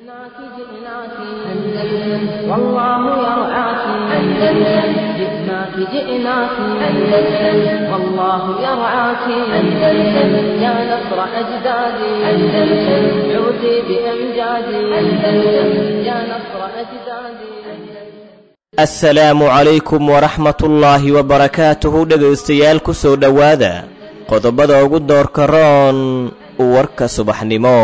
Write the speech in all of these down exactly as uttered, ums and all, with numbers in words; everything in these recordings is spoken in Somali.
جئناك جئناك أندلس والله يرعاك أندلس جئناك جئناك أندلس والله يرعاك أندلس يا نصر أجدادي أندلس عودي بأمجادي أندلس يا نصر أجدادي. Assalaamu calaykum waraxmatullaahi wabarakaatuhu. Dhegaystayaal, ku soo dhowaada qodobada ugu doorka roon warka subaxnimo.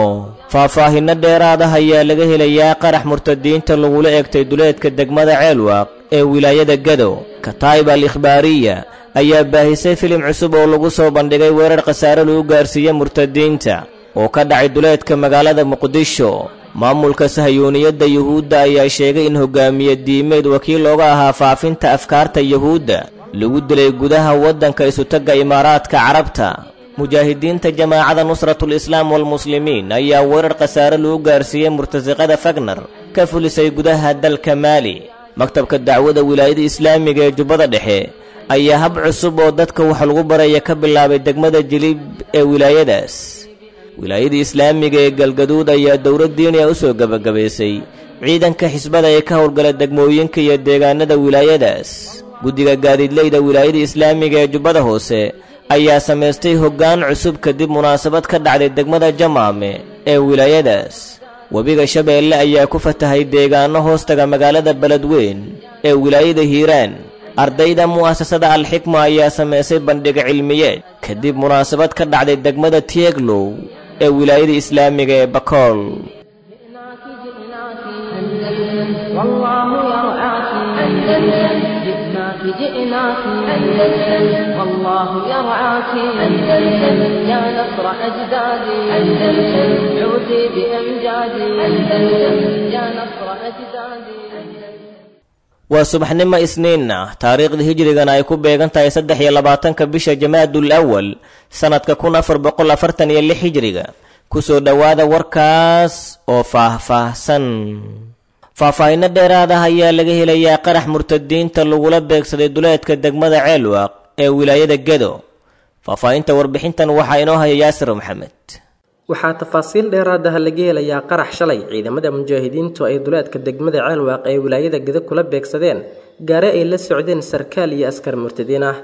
Faahfaahinno dheeraada ayaa laga helayaa qarax murtadiinta lagula eegtay duleedka degmada Ceelwaaq ee wilaayada Gado. Kataib al Ikhbaariya ayaa baahisay filim cusub oo lagu soo bandhigay weerar khasaare lagu gaarsiiyey murtadiinta oo ka dhacay duleedka magaalada Muqdisho. Maamulka sahayuuniyadda Yuhuudda ayaa sheegay in hogaamiye diimeed wakiil looga ahaa faafinta afkaarta Yuhuudda lagu dilay gudaha waddanka isutagga Imaaraadka Carabta. Mujaahidiinta Jamaacada Nusratul Islaam walMuslimiin ayaa weerar khasaare lagu gaarsiiyey murtasiqada Fagner ka fulisay gudaha dalka Maali. Maktabka dacwada wilaayada islaamiga ee Jubbada Dhexe ayaa hab cusub oo dadka wax lagu baraya ka bilaabay degmada Jilib ee wilaayadaas. Wilaayada islaamiga ee Galgaduud ayaa dowlad diini ah u soo gabagabaysay ciidanka xisbada ee ka howlgala degmooyinka iyo deegaanada wilaayadaas. Guddiga gaadiidleyda wilaayada islaamiga ee Jubbada Hoose ayaa samaystay hoggaan cusub kadib munaasabad ka dhacday degmada Jamaame ee wilaayadaas. Webiga Shabeelle ayaa ku fatahay deegaano hoostaga magaalada Beledweyn ee wilaayada Hiiraan. Ardayda mu'asasada Al-Xikma ayaa samaysay bandhig cilmiyeed kadib munaasabad ka dhacday degmada Tieglow ee wilaayada islaamiga ee Bakool. جئناك جئناك أندلس والله يرعاك أندلس جئناك جئناك أندلس والله يرعاك أندلس يا نصر أجدادي أندلس عودي بأمجادي أندلس يا نصر أجدادي. Waa subaxnimo Isniin ah, taariikhda hijrigana ay ku beegan tahay saddex iyo labaatanka bisha Jamaadul Awal sanadka kun afar boqol afartan iyo lix hijriga. Ku soo dhowaada warkaas oo faahfaahsan. Faahfaahinno dheeraad ah ayaa laga helayaa qarax murtadiinta lagula beegsaday duleedka degmada Ceelwaaq ee wilaayada Gedo. Faahfaahinta warbixintan waxaa inoo haya Yaasir Maxamed. Waxaa tafaasiil dheeraad ah laga helayaa qarax shalay ciidamada mujaahidiintu ay duleedka degmada Ceelwaaq ee wilaayada Gedo kula beegsadeen gaari ay la socdeen sarkaal iyo askar murtadiin ah.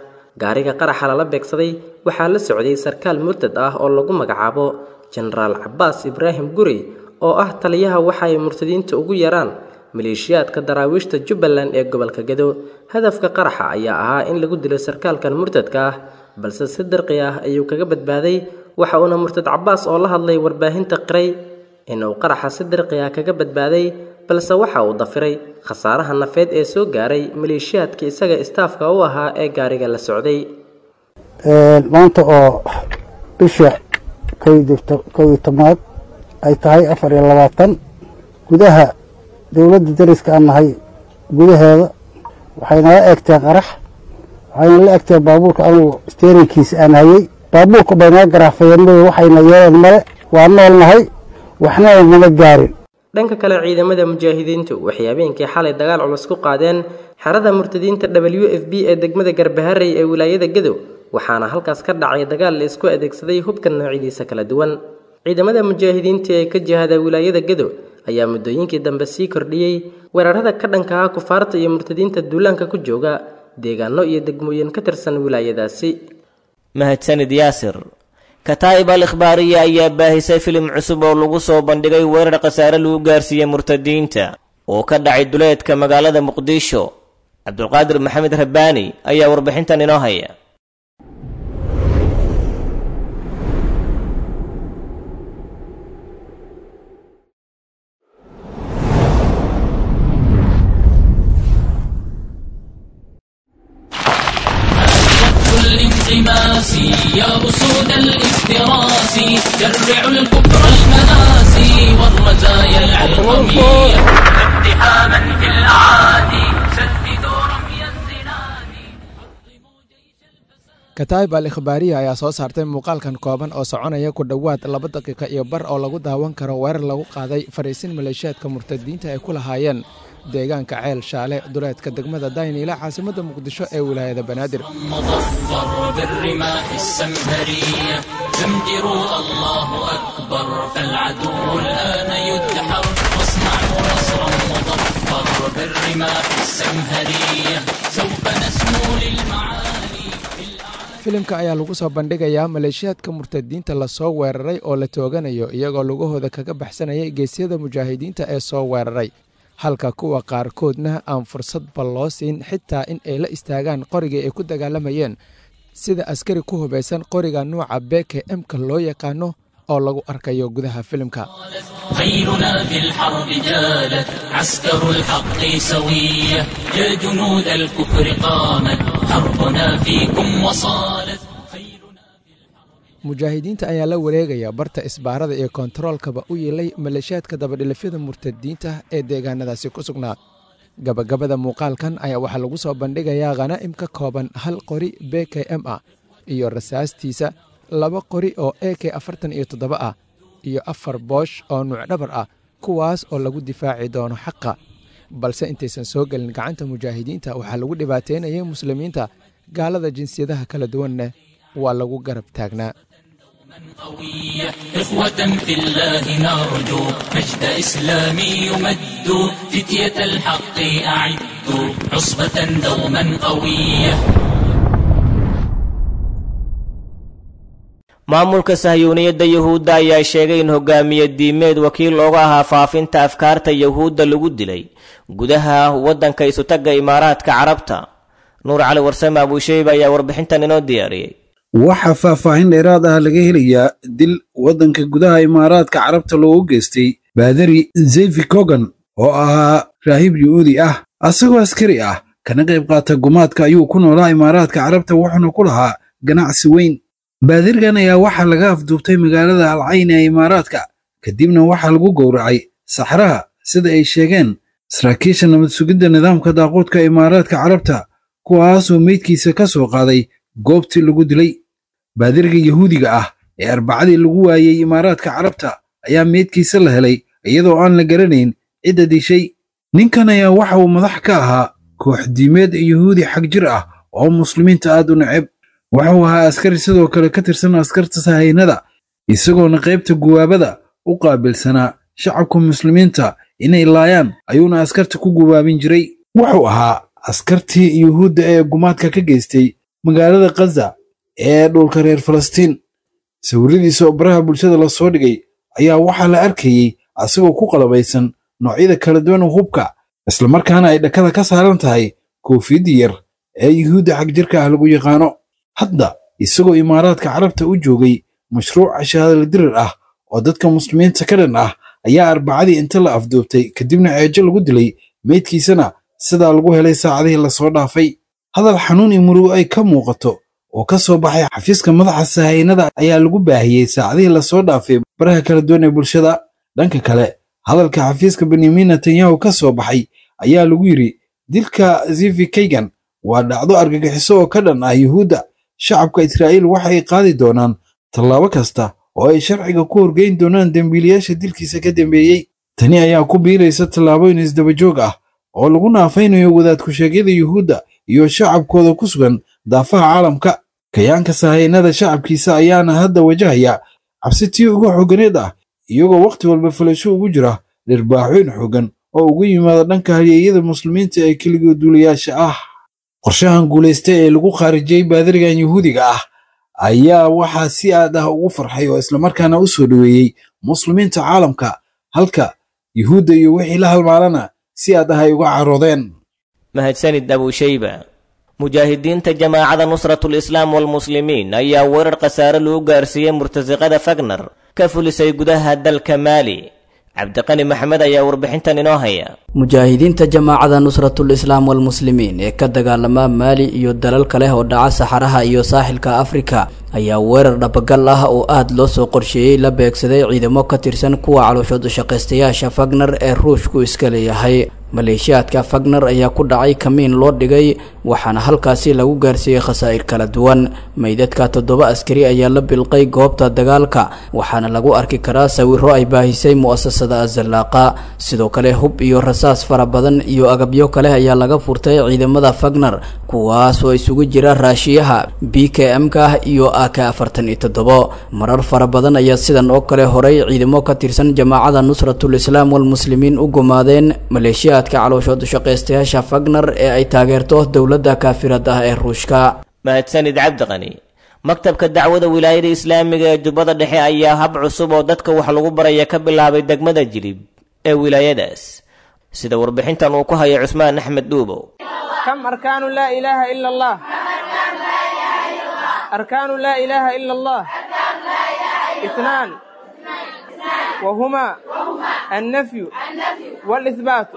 Gaariga qaraxa lala beegsaday waxaa la socday sarkaal murtad ah oo lagu magacaabo Jenaraal Cabbaas Ibraahim Guri oo ah taliyaha waxa ay murtadiinta ugu yaraan maleeshiyaadka daraawiishta Jubbaland ee gobolka Gedo. Hadafka qaraxa ayaa ahaa in lagu dilo sarkaalkan murtadka ah, balse si dirqi ah ayuu kaga badbaaday. Waxa uuna murtad Cabbaas oo la hadlay warbaahinta qiray inuu qaraxa si dirqi ah kaga badbaaday, balse waxa uu dafiray khasaaraha nafeed ee soo gaaray maleeshiyaadkii isaga istaafka u ahaa ee gaariga la socday. Maanta oo bisha kow iyo tobnaad ay tahay afar iyo labaatan, gudaha dowladda dariska aan nahay gudaheeda waxay nala eegteen qarax, waxayna la egteen baabuurka anugu steerinkiisa aan hayay. Baabuurka bay naga garaafayeen, waxayna yeeleen male, waa nool nahay, waxna nama gaarin. Dhanka kale, ciidamada mujaahidiintu waxay habeenkii xalay dagaal culus ku qaadeen xerada murtadiinta W F B ee degmada Garbaharey ee wilaayada Gedo, waxaana halkaas ka dhacay dagaal la isku adeegsaday hubka noocyadiisa kala duwan. Ciidamada mujaahidiinta ee ka jihada wilaayada Gedo ayaa muddooyinkii dambe sii kordhiyey weerarada ka dhanka ah kufaarta iyo murtadiinta duulaanka ku jooga deegaano iyo degmooyin ka tirsan wilaayadaasi. Mahadsanid Yaasir. Kataib al Ikhbaariya ayaa baahisay filim cusub oo lagu soo bandhigay weerar khasaare lagu gaarsiiyey murtadiinta oo ka dhacay duleedka magaalada Muqdisho. Cabdulqaadir Maxamed Rabbaani ayaa warbixintan inoo haya. يا أسود الافتراس جرعوا الكفر المآسي والرزايا العلقمية اقتحاما في الأعادي سددوا رمي الزناد. Kataib al Ikhbaariya ayaa soo saartay muuqaalkan kooban oo soconaya ku dhowaad laba daqiiqa iyo bar oo lagu daawan karo weerar lagu qaaday fariisin maleeshiyaadka murtadiinta ay ku lahaayeen deegaanka Ceel Shaale duleedka degmada Daynila caasimadda Muqdisho ee wilaayada Banaadir. مظفر بالرماح السمهرية زمجروا الله أكبر فالعدو الآن يدحر. بالرماح السمهرية سوف نسمو للمعالي. Filimka ayaa lagu soo bandhigayaa maleeshiyaadka murtadiinta lasoo weeraray oo la tooganayo iyagoo lugahooda kaga baxsanayay geesyada mujaahidiinta ee soo weeraray, halka kuwa qaarkoodna aan fursadba loo siin xitaa in ay la istaagaan qorigii ay ku dagaalamayeen, sida askari ku hubaysan qoriga nuuca B K M-ka loo yaqaano oo lagu arkayo gudaha filimka. خيلنا في الحرب جالت عسكر الحق سوية يا جنود الكفر قامت حربنا فيكم وصالت. Mujaahidiinta ayaa la wareegaya barta isbaarada iyo kontaroolkaba u yeelay maleeshiyaadka dabadhilifyada murtadiinta ee deegaanadaasi ku sugnaa. Gabagabada muuqaalkan ayaa waxaa lagu soo bandhigayaa khanaa'im ka kooban hal qori B K M ah iyo rasaastiisa, laba qori oo A K afartan iyo toddoba ah iyo afar boosh oo nuucdhabar ah, kuwaas oo lagu difaaci doono xaqa. Balse intaysan soo gelin gacanta mujaahidiinta waxaa lagu dhibaateynayay muslimiinta, gaalada jinsiyadaha kala duwanna waa lagu garab taagnaa. قوية إخوة في الله نرجو مجد إسلامي يمد فتية الحق أعدوا عصبة دوما قوية. Maamulka sahyuuniyadda Yuhuudda ayaa sheegay in hogaamiye diimeed wakiil looga ahaa faafinta afkaarta Yuhuudda lagu dilay gudaha waddanka isutagga Imaaraadka Carabta. Nuur Cali Warsame Abushayba ayaa warbixintan inoo diyaariyey. Waxaa faahfaahin dheeraad ah laga helayaa dil waddanka gudaha Imaaraadka Carabta loogu geystay baadari Zevi Kogan oo ahaa raahib Yuhuudi ah, asagoo askari ah kana qayb qaata gumaadka ayuu ku noolaa Imaaraadka Carabta, wuxuuna ku lahaa ganacsi weyn. Baadirgan ayaa waxaa laga afduubtay magaalada Alcayn ee Imaaraadka, kadibna waxaa lagu gowracay saxraha, sida ay sheegeen saraakiisha nabad sugidda nidaamka daaquudka Imaaraadka Carabta, kuwaasoo meydkiisa ka soo qaaday goobtii lagu dilay. Baadirga Yahuudiga ah ee arbacadii lagu waayey Imaaraadka Carabta ayaa meydkiisa la helay iyadoo aan la garanayn cidda dishay. Ninkan ayaa waxa uu madax ka ahaa koox diimeed Yahuudi xag jir ah oo muslimiinta aad u neceb. Wuxuu ahaa askari sidoo kale ka tirsan askarta sahaynada, isagoona qaybta guwaabada u qaabilsanaa shacabka muslimiinta inay laayaan ayuuna askarta ku guwaabin jiray. Wuxuu ahaa askartii Yuhuudda ee gumaadka ka geystay magaalada Gaza ee dhulka reer Falastiin. Sawiradiisa oo baraha bulshada la soo dhigay ayaa waxaa la arkayey asagoo ku qalabaysan noocyada kala duwan hubka, isla markaana ay dhakada ka saaran tahay koofiyadda yar ee Yuhuudda xagjirka ah lagu yaqaano. Hadda isagoo Imaaraadka Carabta u joogay mashruuc shahaadala dirir ah oo dadka muslimiinta ka dhan ah ayaa arbacadii inta la afduubtay kadibna ceejo lagu dilay, meydkiisana sidaa lagu helay saacadihii lasoo dhaafay. Hadal xanuun iyo murugo ay ka muuqato oo ka soo baxay xafiiska madaxa sahaynada ayaa lagu baahiyey saacadihii lasoo dhaafay baraha kala duwan ee bulshada. Dhanka kale, hadalka xafiiska Benyamin Netanyahu ka soo baxay ayaa lagu yidhi dilka Zivi Kagan waa dhacdo argagixiso oo ka dhan ah Yuhuudda. Shacabka Israa'iil waxa ay qaadi doonaan tallaabo kasta oo ay sharciga ku horgeyn doonaan dembiilayaasha dilkiisa ka dambeeyey. Tani ayaa ku biiraysa tallaabooyin isdaba joog ah oo lagu naafaynayo wadaad ku-sheegyada Yuhuudda iyo shacabkooda ku sugan daafaha caalamka. Kayaanka sahaynada shacabkiisa ayaana hadda wajahaya cabsi tii ugu xoogganeed ah, iyagoo wakhti walba falasho ugu jira dhirbaaxooyin xooggan oo ugu yimaada dhanka halyeeyada muslimiinta ee keligoo duulayaasha ah. Qorshahan guulaystay ee lagu khaarijiyey baadirigan Yuhuudiga ah ayaa waxaa si aad ah ugu farxay oo islamarkaana u soo dhoweeyey muslimiinta caalamka, halka Yuhuudda iyo wixii la halmaalana si aad ah ay uga caroodeen. Mahadsanid Abushayba. Mujaahidiinta jamaacada Nusratul Islaam walmuslimiin ayaa weerar khasaare lagu gaarsiiyey murtasiqada Fagner ka fulisay gudaha dalka Maali. Cabdiqani Maxamed ayaa warbixintan inoo haya. Mujaahidiinta jamaacada Nusratul Islaam walmuslimiin ee ka dagaalama Maali iyo dalal kale oo dhaca saxaraha iyo saaxilka Afrika ayaa weerar dhabagal ah oo aad loo soo qorsheeyey la beegsaday ciidamo ka tirsan kuwa calooshood shaqaystayaasha Fagner ee Ruushku iska leeyahay. Maleeshiyaadka Fagner ayaa ku dhacay kamiin loo dhigay, waxaana halkaasi lagu gaarsiiyey khasaa'ir kala duwan. Meydadka toddoba askari ayaa la bilqay goobta dagaalka, waxaana lagu arki karaa sawirro ay baahisay mu'asasada Azallaaqa. Sidoo kale hub iyo rasaas fara badan iyo agabyo kale ayaa laga furtay ciidamada Fagner, kuwaas oo isugu jira raashiyaha B K M-ka iyo A K afartan iyo toddobo. Marar fara badan ayaa sidan oo kale horay ciidamo ka tirsan jamaacada Nusratul Islaam walMuslimiin u gumaadeen maleeshiyaadka calooshood shaqaystayaasha Fagner ee ay taageerto dowladda kaafirada ah ee Ruushka. Mahadsanid Cabdiqani. Maktabka dacwada wilaayada islaamiga ee Jubbada Dhexe ayaa hab cusub oo dadka wax lagu baraya ka bilaabay degmada Jilib ee wilaayadaas, sida warbixintan uu ku hayo Cusmaan Axmed Dhuubow. Kam arkaanu laa ilaaha illa Allah? Arkaanu laa ilaaha illa Allah ithnaan wahuma annafyu walithbaat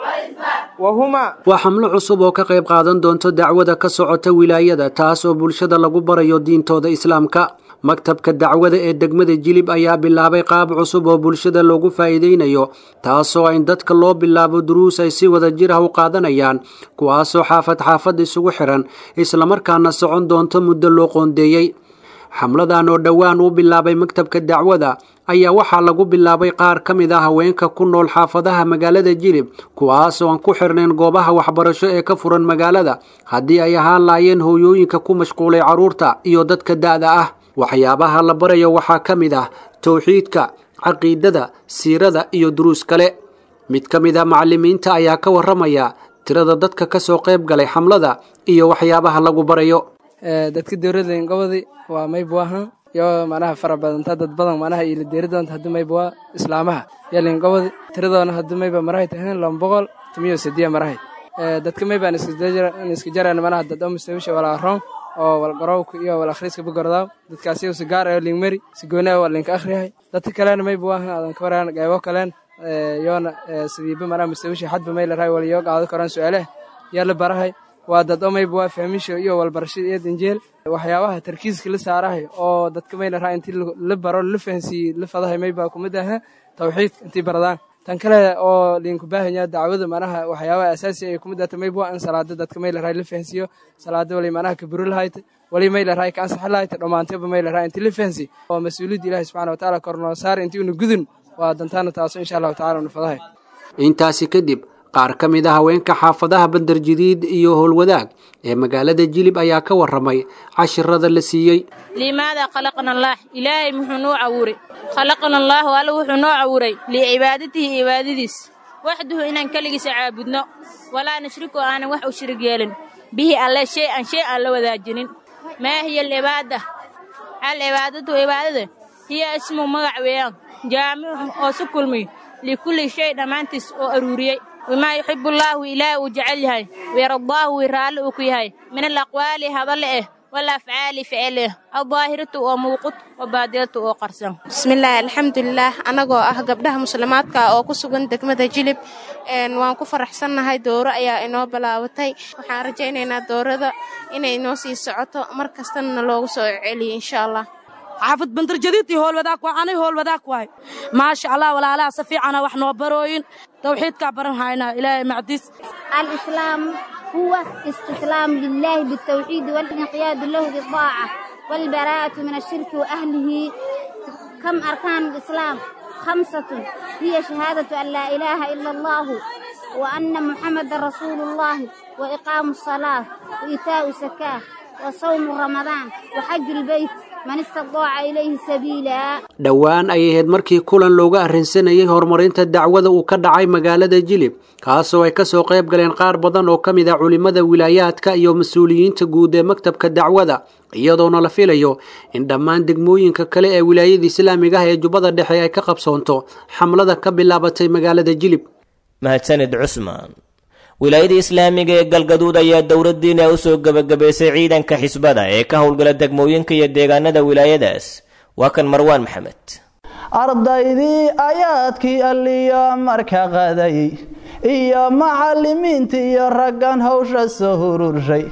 wahuma. Waa xamlo cusub oo ka qayb qaadan doonto dacwada ka socota wilaayada, taas oo bulshada lagu barayo diintooda islaamka. Maktabka dacwada ee degmada Jilib ayaa bilaabay qaab cusub oo bulshada loogu faa'iideynayo, taasoo in dadka loo bilaabo duruus ay si wada jir ah u qaadanayaan, kuwaasoo xaafad xaafad isugu xiran, islamarkaana socon doonto muddo loo qoondeeyey. Xamladan oo dhowaan uu bilaabay maktabka dacwada ayaa waxaa lagu bilaabay qaar ka mid ah haweenka ku nool xaafadaha magaalada Jilib, kuwaas oo aan ku xirnayn goobaha waxbarasho ee ka furan magaalada, haddii ay ahaan laayeen hooyooyinka ku mashquulay carruurta iyo dadka da'da ah. Waxyaabaha la barayo waxaa ka mid ah towxiidka, caqiidada, siirada iyo duruus kale. Mid ka mid ah macallimiinta ayaa ka warramaya tirada dadka ka soo qayb galay xamlada iyo waxyaabaha lagu barayo. Dadka dowladda gobodi waa maybuahan iyo manaha fara badanta dad badan manaha ila deeri doonta haddii maybua islaamaha yalin gobodi tiradoona haddii mayba marahay tahan laba boqol tumiyo sideed marahay. Dadka maybaan iska jaraan manaha dad oo mustawisha wala roon oo wal garowka iyo wal akhriska bugordaaw dadkaasi si gaar ah link mari si gooni ah waa linka akhriyahay. Dadka kalena maybuahan adan ka waraan qaybo kaleen yoona sidiiba manaha mustawisha hadba may la raay wal iyo qaado karaan su'aalaha yaa la barahay. Waa dad oo mayba waa fahmisho iyo walbarashada iyo danjeel waxyaabaha tarkiiska la saarahay oo dadka may la raa intii la baro la fahansiiyey la fadahay mayba kumid aha tawxiidka intii baradaan. Tan kale oo liinku baahanya dacwada manaha waxyaabaha asaasi ay kumid ahta mayba waa in salaada dadka may la raa la fahansiiyo, salaada wali manaha ka buri lahayd wali may la raa ka ansax lahayd dhammaanteeba may la raa intii la fahansiiyo oo mas-uuliyadda Ilaahay subxaana wa tacaala kor noo saar intii una gudun waa dantaana taaso insha Allahu tacaala una fadahay. Intaasi kadib qaar ka mid ah haweenka xaafadaha Bandar Jadiid iyo Howlwadaag ee magaalada Jilib ayaa ka warramay cashirada la siiyey. Limaada khalaqna Allah, Ilaahay muxuu noo abuuray? Khalaqna Allah, alla wuxuu noo abuuray liicibaadatihi, cibaadadiis waxduhu inaan kaligiisa caabudno, walaa nashriku aanan wax u shirig yeelin bihi alle shay an shay aan la wadaajinin. Maa hiya alcibaada? Alcibaadatu cibaadada hiya ismu magac weeyaan jaamicu oo si kulmiy likulli shay dhammaantiis oo aruuriyey wamaa yuxibu allaahu ilaah uu jecel yahay wayardaahu wii raalli uu ku yahay min alaqwaali hadalle eh walafcaali ficil eh aldaahiratu oo muuqut wa baadilatu oo qarsan. Bismillaahi, alxamdulilaah. Anagoo ah gabdhaha muslimaadka oo ku sugan degmada Jilib, waan ku faraxsannahay. Dooro ayaa inoo bilaabatay. Waxaan rajaynaynaa doorada inay inoo sii socoto mar kastana loogu soo celiyo insha allah. Xaafad Bandar Jadiid iyo Howlwadaag waa anay Howlwadaag waay. Maasha Allah, walaalaha si fiicana wax noo barooyin tawxiidka baran haynaa Ilaahay macdiis. Al-islaam huwa istislaam lillahi bitawxiid wal-inqiyaad lahu bi-taa'a wal-baraa'atu min ash-shirki wa ahlihi. Kam arkaan al-islaam? Khamsatun hiya shahaadatu an laa ilaaha illa Allah wa anna Muhammadan rasuulullah wa iqaamu as-salaah wa itaa'u zakaah wa sawmu ramadaan wa xajju al-bayt. Dhowaan ay ahayd markii kulan looga arrinsanayay horumarinta dacwada uu ka dhacay magaalada Jilib, kaasoo ay kasoo qayb galeen qaar badan oo ka mid ah culimada wilaayaadka iyo mas-uuliyiinta guud ee maktabka dacwada, iyadoona la filayo in dhammaan degmooyinka kale ee wilaayada islaamiga ah ee Jubbada Dhexe ay ka qabsoonto xamlada ka bilaabatay magaalada Jilib. Mahadsanid Cusmaan. Wilaayada islaamiga ee Galgaduud ayaa dowladdiina u soo gebagabaysay ciidanka xisbada ee ka howlgala degmooyinka iyo deegaanada wilaayadaas. Waa kan Marwaan Maxamed. Ardaydii ayaadkii alliya marka qaday iyo macallimiintii iyo raggan hawsha soo hururshay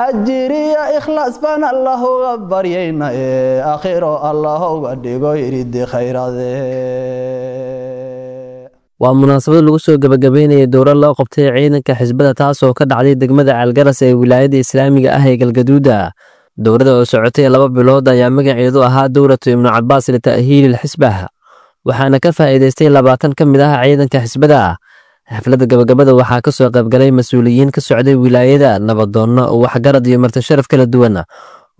ajiriya ikhlaas baan Allah uga baryayna ee aakhiro Allah uga dhigo iridi khayrade. Waa munaasabad lagu soo gebagabeynayay dowlad loo qabtay ciidanka xisbada, taasoo ka dhacday degmada Ceelgaras ee wilaayada islaamiga ah ee Galgaduuda. Dowladda oo socotay laba bilood ayaa magaceedu ahaa Dowlatu Ibnu Cabaas lita'hiili lxisbah, waxaana ka faa'iidaystay labaatan ka mid ah ciidanka xisbada. Xafladda gabagabada waxaa ka soo qaybgalay mas-uuliyiin ka socday wilaayada, nabadoonno, waxgarad iyo martisharaf kala duwan.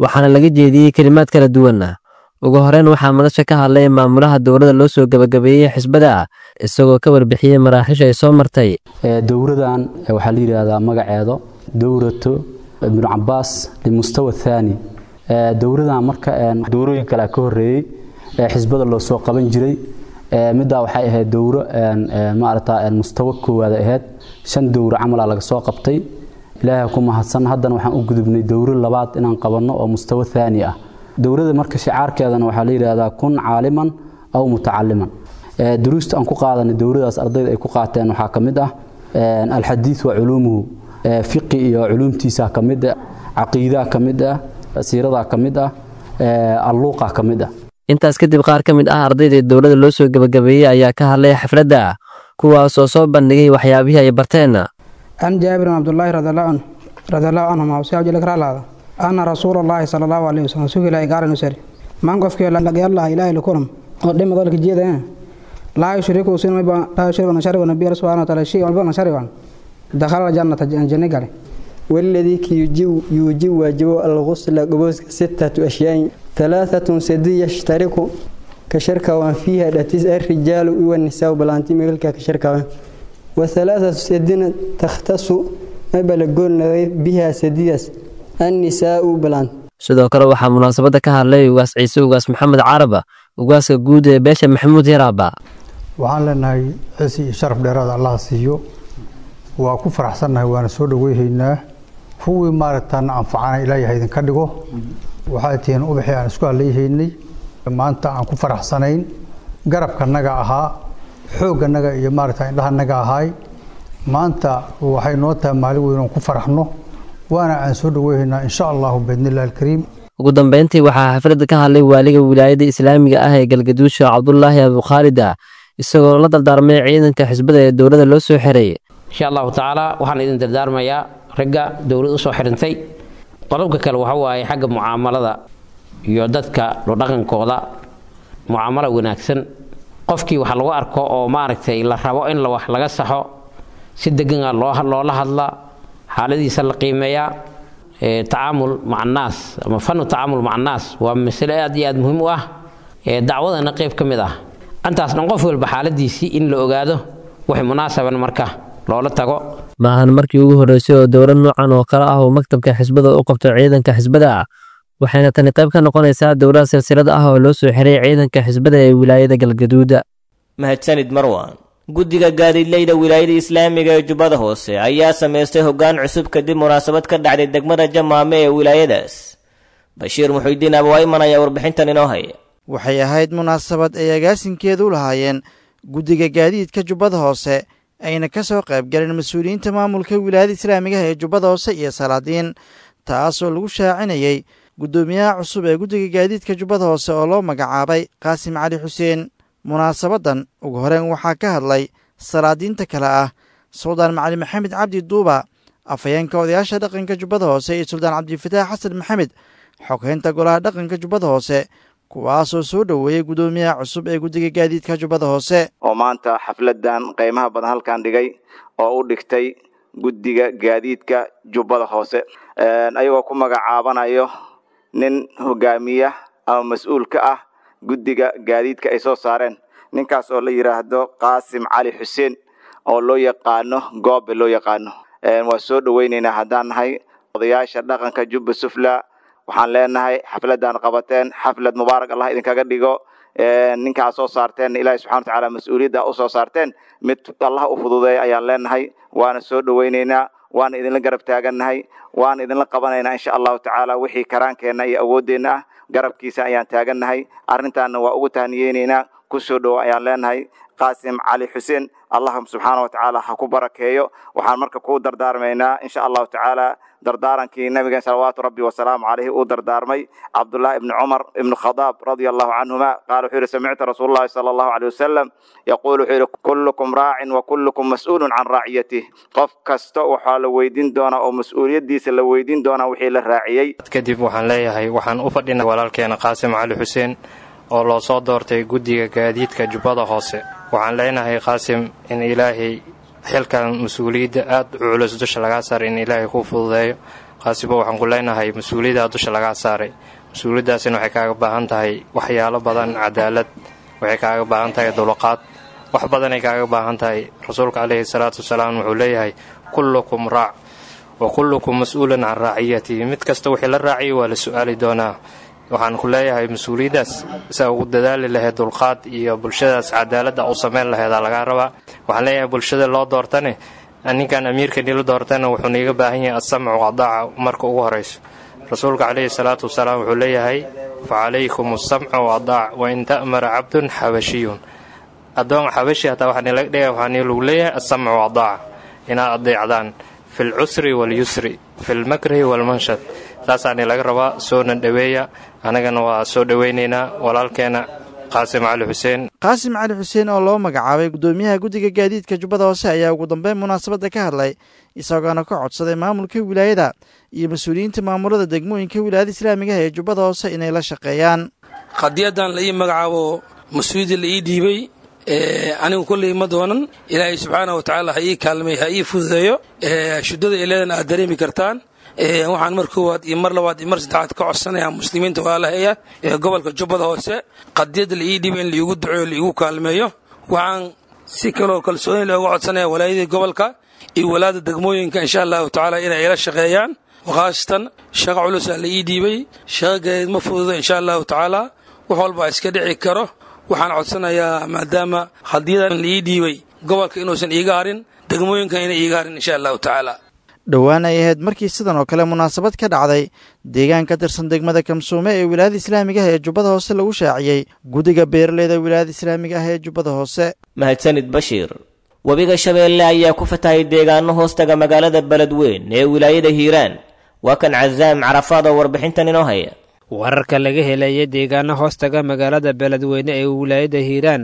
Waxaana laga jeediyey kelimaad kala duwan. Ugu horeyn waxaa madasha ka hadlay maamulaha dowladda loo soo gabagabeeyey xisbada, isagoo ka warbixiyey maraaxiisha ay soo martay. Dowradan waxaa la yidhaahdaa magaceedo Dowratu Ibnu Cabaas limustawa thaani. Dowradan marka dowrooyin kale ka horreeyey xisbada loo soo qaban jiray, middaa waxay ahayd dowro maarata mustawa koowaad ahayd. Shan dowro camalaa laga soo qabtay, Ilaahay ku mahadsan. Haddana waxaan u gudubnay dowro labaad inaan qabanno oo mustawa thaani ah. Dowrada marka shicaarkeedana waxaa la yidhaahdaa kun caaliman aw mutacaliman. Duruusta aan ku qaadanay dowradaas ardayda ay ku qaateen waxaa ka mid ah alxadiid wa culuumuhu, fiqi iyo culuumtiisa ka mid ah, caqiidaa ka mid ah, siiradaa ka mid ah, alluuqa ka mid ah. Intaas kadib qaar ka mid ah ardayda dowladda loo soo gabagabeeyey ayaa ka hadlay xafladda, kuwaas oo soo bandhigay waxyaabihii ay barteen. Can Jaabir bin Cabdullaahi radiallahu canhuma wasiabjilkraalaada ana rasuulallaahi sala allahu alayhi wasallam sugi ilaahi gaaran usari man qofkii lagayallaha ilaahi lakulam oo dhima dalka jeeda laa yushriku sinma laa yushriku nasharigu nabiy subhanahu wa ta'ala shay walba nasharigan dakhala jannata janna gale. والذي يجيب يوجب واجب الغسل قبوس ستة أشياء ثلاثة سدي يشترك كشركة وان فيها التي الرجال والنساء بلانتي ملك كشركة وثلاثة سدين تختص ما بلغون بها سديس النساء بلان. Sidoo kale waxaa munaasabadda ka hadlay Ugaas Ciise Ugaas Maxamed Caraba, ugaaska guud ee beesha Maxamuud Yaraaba. Waxaan leenahay cisi iyo sharaf dheeraad Allah siiyo, waa ku faraxsannahay waana soo dhaweyhaynaa. Kuwii maaragtaan anfacana Ilaahay ha idinka dhigo. Waxaa tihiin ubaxii aan isku hallayhaynay maanta aan ku faraxsanayn, garabkanaga ahaa, xoogganaga iyo maaragtaa indhahanaga ahaay. Maanta waxay noo tahay maalin weyn oon ku faraxno, waana aan soo dhaweyhaynaa insha Allahu biidnillahi alkariim. Ugu dambeyntii waxaa xafladda ka hadlay waaliga wilaayada islaamiga ah ee Galgaduud, Sheekh Cabdulaahi Abukhaalida, isagoo la dardaarmay ciidanka xisbada ee dowladda loo soo xiray. Insha Allahu tacaala waxaan idin dardaarmayaa ragga dowlad usoo xirintay. Qodobka kale waxa waaye xagga mucaamalada iyo dadka dhaqankooda, mucaamalo wanaagsan. Qofkii waxa lagu arko oo maaragtay la rabo in wax laga saxo, si degana loo loola hadlaa, xaaladiisa la qiimeeyaa. Tacaamul maca annaas ama fanu tacaamul maca annaas waa masale aad iyo aad muhiim u ah, dacwadana qayb ka mid ah. Intaas dhan qof walba xaaladiisii in la ogaado wixii munaasaban marka loola tago. Maahan markii ugu horreysay oo dowlad noocan oo kale ah uu maktabka xisbada u qabto ciidanka xisbada, waxayna tani qayb ka noqonaysaa dowlad silsilad ah oo loo soo xiray ciidanka xisbada ee wilaayada Galgaduuda. Mahadsanid Marwan. Guddiga gaadiidleyda wilaayada islaamiga ee Jubbada Hoose ayaa samaystay hoggaan cusub kadib munaasabad ka dhacday degmada Jamaame ee wilaayadaas. Bashiir Muxuudiin Abwaayman ayaa warbixintan inoo haya. Waxay ahayd munaasabad ay agaasinkeedu lahaayeen guddiga gaadiidka Jubbada Hoose, ayna ka soo qayb galeen mas-uuliyiinta maamulka wilaayada islaamigaha ee Jubbada Hoose iyo salaadiin, taasoo lagu shaacinayey guddoomiyaha cusub ee guddiga gaadiidka Jubbada Hoose oo loo magacaabay Qaasim Cali Xuseen. Munaasabadan ugu horeyn waxaa ka hadlay salaadiinta kale ah Suldaan Macali Maxamed Cabdi Duuba, afhayeenka odayaasha dhaqanka Jubbada Hoose, iyo Suldaan Cabdifataax Xasan Maxamed, xoghaynta golaha dhaqanka Jubbada Hoose, kuwaasoo soo dhoweeyey guddoomiyaha cusub ee guddiga gaadiidka Jubbada Hoose. Oo maanta xafladan qiimaha badan halkan dhigay oo u dhigtay guddiga gaadiidka Jubbada Hoose, ayagoo ku magacaabanayo nin hogaamiya ama mas-uul ka ah guddiga gaadiidka ay soo saareen, ninkaas oo la yidhaahdo Qaasim Cali Xuseen oo loo yaqaano Goobe loo yaqaano. Waa soo dhoweynaynaa haddaan nahay odayaasha dhaqanka Jubba Sufla. Waxaan leenahay xafladan qabateen xaflad mubaarak Allah idinkaga dhigo. Ninkaa soo saarteen Ilaahay subxana watacaala mas-uuliyadda u soo saarteen mid Allah u fududeeya ayaan leenahay. Waana soo dhoweynaynaa, waana idinla garab taagannahay, waana idinla qabanaynaa insha Allahu tacaala. Wixii karaankeenna iyo awooddeenna ah garabkiisa ayaan taagannahay. Arrintaana waa ugu tahniyeynaynaa. Ku soo dhowo ayaan leenahay Qaasim Cali Xuseen, Allah subxaana wa tacaala ha ku barakeeyo. Waxaan marka ku dardaarmaynaa insha Allahu tacaala dardaarankii nabigan salawaatu rabbi wasalaamu calayhi uu dardaarmay Cabdullahi ibni Cumar ibnu Khadaab radia allahu canhuma. Qaala wuxuu yidhi samictu rasuulullahi sala allahu caleyhi wasalam yaquul, wuxuu yidhi kullukum raacin wa kullukum mas'uulun can raaciyatih. Qof kasta waxaa la weydiin doonaa oo mas-uuliyaddiisa la weydiin doonaa wixii la raaciyey. Kadib waxaan leeyahay waxaan u fadhinaa walaalkeena Qaasim Cali Xuseen oo loo soo doortay guddiga gaadiidka Jubbada Hoose. Waxaan leenahay Qaasim in Ilaahay xilkan mas-uuliyadda aad u culus dusha lagaa saara in Ilaahay kuu fududeeyo. Qaasimo, waxaan ku leenahay mas-uuliyaddaa dusha lagaa saaray. Mas-uuliyaddaasina waxay kaaga baahan tahay waxyaalo badan, cadaalad waxay kaaga baahan tahay, dulqaad wax badanay kaaga baahan tahay. Rasuulka calayhi salaatu wasalaam wuxuu leeyahay kullukum raac wa kullukum mas-uulun can raaciyatihi. Mid kasta wixii la raaciyay waa la su-aali doonaa. Waxaan ku leeyahay mas-uuliyaddaas saa ugu dadaali lahayd dulqaad iyo bulshadaas cadaaladda u samayn laheedaa lagaa rabaa. Waxaan leeyahay bulshada loo doortane, ninkan amiirka nila doortana wuxuu niiga baahan yahay asamcu wadaaca marka ugu horayso. Rasuulka calayhi salaatu wasalaam wuxuu leeyahay fa calaykum asamcu wadaac wain ta'mara cabdun xabashiyun. Addoon xabashi hataa waxaa nilaga dhigaya, waxaa nilagu leeyahay asamcu wadaaca, inaad adeecdaan fi lcusri walyusri, fi lmakrihi walmanshad. Saasaani laga rabaa. Soona dhoweeya, annagana waa soo dhoweynaynaa walaalkeena Qaasim Cali Xuseen. Qaasim Cali Xuseen oo loo magacaabay guddoomiyaha guddiga gaadiidka Jubbada Hoose ayaa ugu dambeyn munaasabadda ka hadlay, isagoona ka codsaday maamulka wilaayada iyo mas-uuliyiinta maamulada degmooyinka wilaayada islaamiga ah ee Jubbada Hoose inay la shaqeeyaan. Qadiyadan la ii magacaabo, mas-uuliyadda la ii dhiibay, anigu kolley ma doonan. Ilaahay subxaana wa tacaala ha ii kaalmay, ha ii fududeeyo. Shudada ileedana aad dareemi kartaan. Waxaan mar koowaad iyo mar labaad iyo mar saddexaad ka codsanayaa muslimiinta walaalaheeya ee gobolka Jubbada Hoose qadiyadda la ii dhiibay in laiigu duceeyo, laiigu kaalmeeyo. Waxaan si kaloo kalsooni looga codsanaya walaayadii gobolka iyo walaada degmooyinka insha allahu tacaala inay ila shaqeeyaan. Khaasatan shaqo culusaa la ii dhiibay, shaqo gadeed ma fududo insha allahu tacaala, wax walba iska dhici karo. Waxaan codsanayaa maadaama qadiyadan la ii dhiibay gobolka inuusan iiga harin, degmooyinka inay iiga harin insha allahu tacaala. Dhowaan ay ahayd markii sidan oo kale munaasabad ka dhacday deegaan ka tirsan degmada Kamsuume ee wilaayada islaamiga ah ee Jubbada Hoose lagu shaaciyey guddiga beeraleyda wilaayada islaamiga ah ee Jubbada Hoose. Mahadsanid Bashiir. Webiga Shabeelle ayaa ku fatahay deegaano hoostaga magaalada Beledweyn ee wilaayada Hiiraan. Waa kan Casaam Carafaad oo warbixintan inoo haya. Wararka laga helaya deegaano hoostaga magaalada Beledweyne ee wilaayada Hiiraan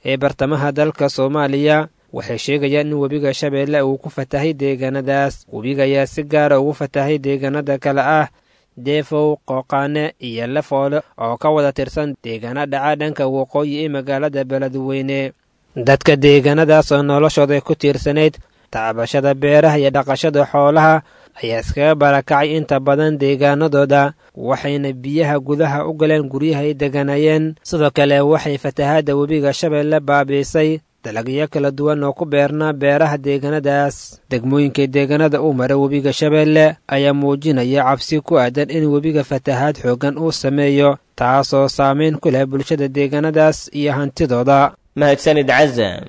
ee bartamaha dalka Soomaaliya waxay sheegayaan in webiga Shabeelle uu ku fatahay deegaanadaas. Webiga ayaa si gaara ugu fatahay deegaanada kale ah Deefow, Qooqaane iyo Lafoole oo ka wada tirsan deegaano dhaca dhanka waqooyi ee magaalada Beledweyne. Dadka deegaanadaas oo noloshooda ku tiirsanayd tacbashada beeraha iyo dhaqashada xoolaha ayaa iskaga barakacay inta badan deegaanadooda, waxayna biyaha gudaha u galeen guryaha ay deganayeen. Sidoo kale waxay fatahaadda webiga Shabeelle baabiisay dalagyo kala duwan oo ku beernaa beeraha deegaanadaas. Degmooyinka deegaanada uu mara webiga Shabeelle ayaa muujinaya cabsi ku aadan in webiga fatahaad xooggan uu sameeyo, taasoo saameyn ku leh bulshada deegaanadaas iyo hantidooda. Mahadsanid Casaam.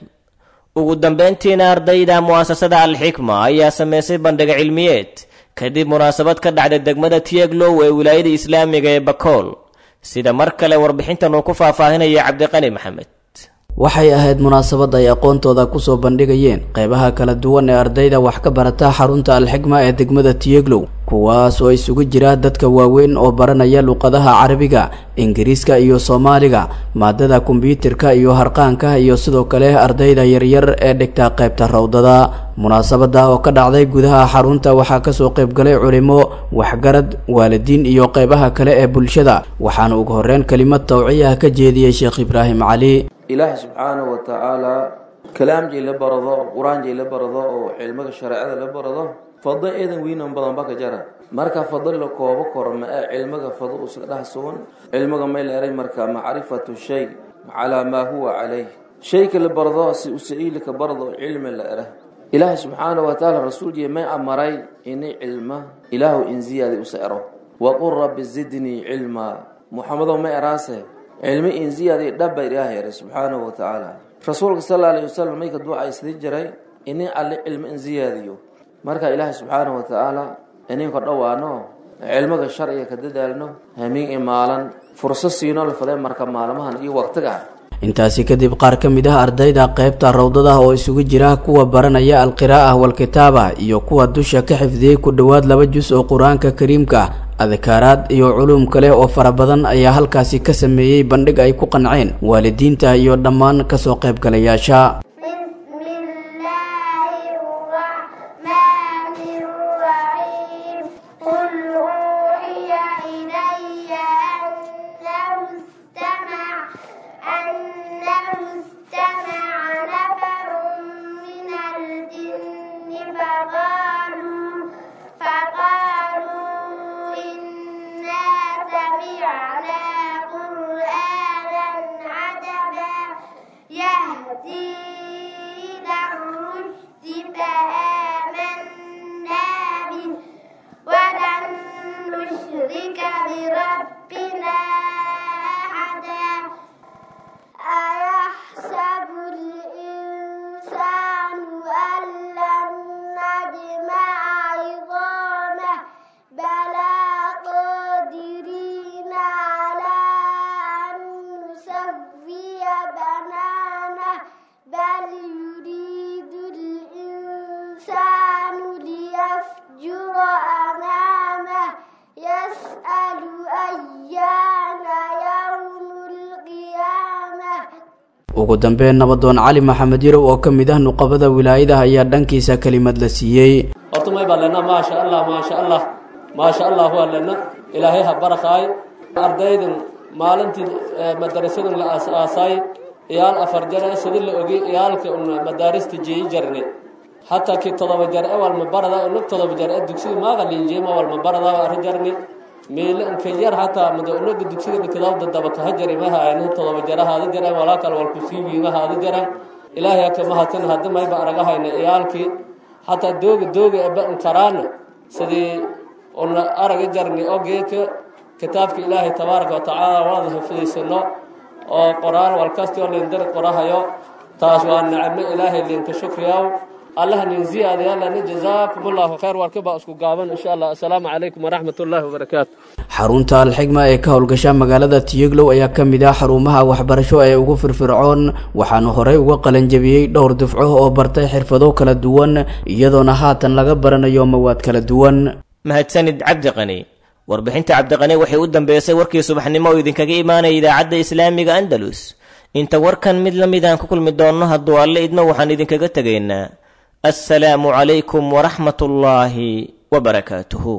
Ugu dambeyntiina ardayda mu'asasada Alxikma ayaa sameysay bandhiga cilmiyeed kadib munaasabad ka dhacday degmada Tieglow ee wilaayada islaamiga ee Bakool, sida mar kale warbixintan uu ku faahfaahinaya Cabdiqani Maxamed. Waxay ahayd munaasabad ay aqoontooda kusoo bandhigayeen qeybaha kala duwan ee ardayda wax ka barata xarunta Alxikma ee degmada Tiyeglow, kuwaas oo isugu jira dadka waaweyn oo baranaya luqadaha Carabiga, Ingiriiska iyo Soomaaliga, maadada kombiyuutarka iyo harqaanka, iyo sidoo kale ardayda yaryar ee dhigta qaybta rawdada. Munaasabada oo ka dhacday gudaha xarunta waxaa kasoo qaybgalay culimo, waxgarad, waalidiin iyo qeybaha kale ee bulshada. Waxaana ugu horreyn kelimad tawciya ah ka jeediyey Sheekh Ibraahim Cali. Ilaahay subxaanahu wa tacaala kalaamjay la barado, qur-aanjay la barado oo cilmiga shareecada la barado, fadlo eedan weynan badan ba ka jara. Marka fadlo la koobo koro ma ee cilmiga fadlo usa dhex sugan. Cilmiga may la eray marka macrifatu shay calaa maa huwa calayh, shayka la barado si usa'iilka barado cilmi la era. Ilaahay subxaanahu wa tacaala rasuulkii may amaray inay cilma ilaahu in ziyaadi usa ero, waqul rabbi zidnii cilmaa. Muxamedow may eraase cilmi in ziyaadi dhaba ilaahay eray subxaanahu wa tacaala. Rasuulka sal alla alayhi wasalam may ka ducaysan jiray inay alle cilmi in ziyaadiyo. Marka ilaahay subxaanahu wa tacaala ininka dhowaano cilmiga sharciga ka dadaalno, hamiin imaalan fursad siino la faday marka maalmahan iyo waqtiga. Intaasi kadib qaar ka mid ah ardayda qaybta rawdada oo isugu jira kuwa baranaya alqiraa'ah walkitaaba iyo kuwa dusha ka xifdiyey ku dhowaad laba jus oo Qur-aanka kariimka, adkaaraad iyo culuum kale oo fara badan ayaa halkaasi ka sameeyey bandhig ay ku qanceen waalidiinta iyo dhammaan kasoo qaybgalayaasha. فقالوا إلى الرشد فآمنا به ولن نشرك بربنا أحدا. أيحسب الإنسان أن لن نجمع عظامه؟ بلى قادرين على أن نسوي بنانه، بل يريد الإنسان ليفجر أمامه، يسأل أيان يوم القيامة. Ugu dambeyn, nabadoon Cali Maxamed Yarow oo ka mid ah nuqabada wilaayada ayaa dhankiisa kelimad la siiyey. Horta may baa lena, maasha Allah, maasha Allah, maasha Allah, waa lena. Ilaahay ha barakaay ardaydan. Maalintii madarasadan la aas-aasay iyaal afar jar e sida la ogey iyaalka un madaarista jeeyi jarne, hataa kii todoba jar e walma barada, unug todoba jar e dugsiga maaga linjeema walma barada arri jarne meele inka yar, hataa mada unuga dugsiga dhikadaw dadaba kaha jari maha ayna todoba jarahaada jareen, walaakal walku sii wiimahaada jareen. Ilaahay ha kama hatan. Hadda mayba aragahayna iyaalkii hataa dooga dooga eba inkaraana sidii una araga jarni oo geedka kitaabka Ilaahay tabaaraka wa tacaala waada hafidaysano oo qoraal walkasti oo lindar qorahayo. Taas waa nicmo Ilaahay linka shukriyaw. Allaha nin ziyaadayaalana. Jazaakumullahu khayr. Warka baa isku gaaban, insha Allah. Assalaamu calaykum waraxmat ullaahi wabarakaatu. Xarunta Alxigma ee ka howlgasha magaalada Tiyeglow ayaa ka mid ah xarumaha waxbarasho ee ugu firfircoon, waxaana horey uga qalanjabiyey dhowr dufco oo bartay xirfado kala duwan, iyadoona haatan laga baranayo mawaad kala duwan. Mahadsanid Cabdiqani. Warbixinta Cabdiqani waxay u dambeysay warkii subaxnimo oo idinkaga imaanaya idaacadda islaamiga Andalus. Inta warkan mid la mid aan ku kulmi doonno hadduu Alle idmo, waxaan idinkaga tegaynaa assalaamu calaykum waraxmatullaahi wabarakaatuhu.